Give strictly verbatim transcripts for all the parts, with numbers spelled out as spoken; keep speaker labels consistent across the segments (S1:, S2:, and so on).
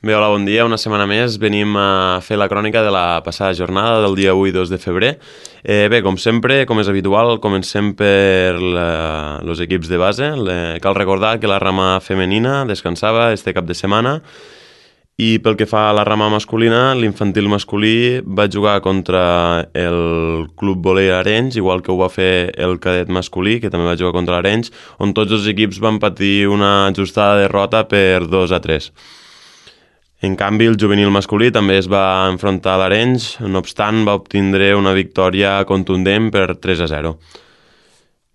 S1: Bé, hola, bon dia. Una setmana més venim a fer la crònica de la passada jornada del dia avui, dos de febrer. Eh, bé, com sempre, com és habitual, comencem per els equips de base. Le, cal recordar que la rama femenina descansava este cap de setmana i pel que fa a la rama masculina, l'infantil masculí va jugar contra el Club Volei Arenys, igual que ho va fer el cadet masculí, que també va jugar contra l'Arenys, on tots els equips van patir una ajustada derrota per dos a tres. En canvi, el juvenil masculí també es va enfrontar a l'Arenys, no obstant va obtindre una victòria contundent per tres a zero.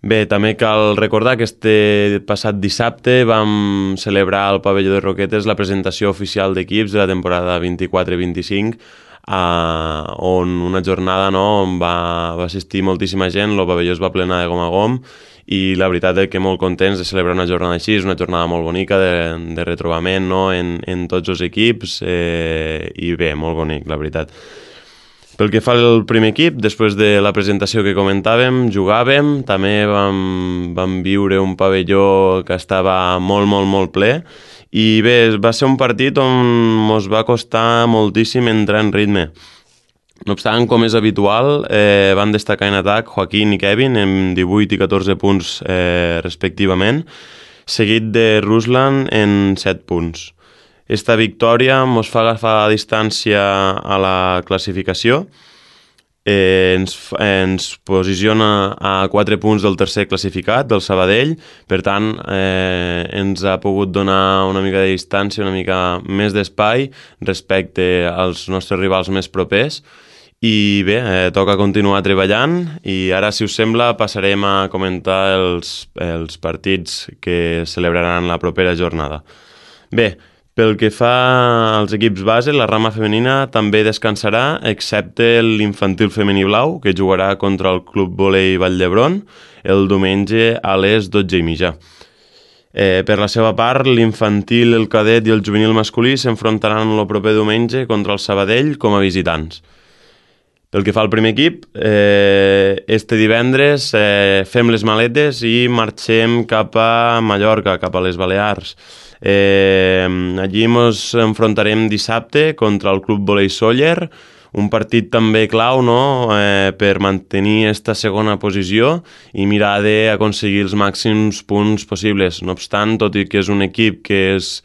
S1: Bé, també cal recordar que este passat dissabte vam celebrar al pavelló de Roquetes la presentació oficial d'equips de la temporada vint-i-quatre vint-i-cinc, eh, on una jornada no, on va, va assistir moltíssima gent, el pavelló es va plenar de gom a gom, i la veritat és que molt contents de celebrar una jornada així, és una jornada molt bonica de, de retrobament no? en, en tots els equips, eh, i bé, molt bonic, la veritat. Pel que fa al primer equip, després de la presentació que comentàvem, jugàvem, també vam, vam viure un pavelló que estava molt, molt, molt ple, i bé, va ser un partit on ens va costar moltíssim entrar en ritme. No obstant, com és habitual, eh, van destacar en atac Joaquín i Kevin amb divuit i catorze punts eh, respectivament, seguit de Ruslan en set punts. Esta victòria ens fa agafar distància a la classificació, eh, ens, ens posiciona a quatre punts del tercer classificat, del Sabadell, per tant eh, ens ha pogut donar una mica de distància, una mica més d'espai respecte als nostres rivals més propers. I bé, eh, toca continuar treballant i ara, si us sembla, passarem a comentar els, els partits que celebraran la propera jornada. Bé, pel que fa als equips base, la rama femenina també descansarà, excepte l'infantil femení blau, que jugarà contra el Club Volei Vall d'Hebron el diumenge a les dotze i mitja. Eh, per la seva part, l'infantil, el cadet i el juvenil masculí s'enfrontaran el proper diumenge contra el Sabadell com a visitants. Pel que fa al primer equip, eh, este divendres eh, fem les maletes i marxem cap a Mallorca, cap a les Balears. Eh, allí ens enfrontarem dissabte contra el Club Volei Sóller, un partit també clau no? eh, per mantenir esta segona posició i mirar d'aconseguir els màxims punts possibles. No obstant, tot i que és un equip que és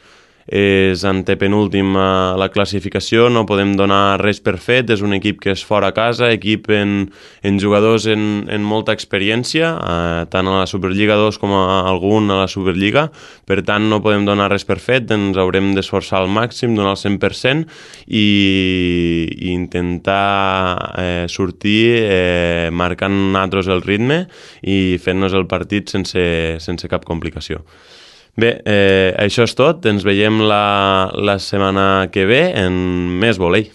S1: és antepenúltim a la classificació, no podem donar res per fet, és un equip que és fora a casa, equip en, en jugadors en, en molta experiència, eh, tant a la Superliga dos com a algun a la Superliga, per tant no podem donar res per fet, ens haurem d'esforçar al màxim, donar el cent per cent i, i intentar eh, sortir eh, marcant nosaltres el ritme i fent-nos el partit sense, sense cap complicació. Bé, eh, això és tot. Ens veiem la, la setmana que ve en més volei.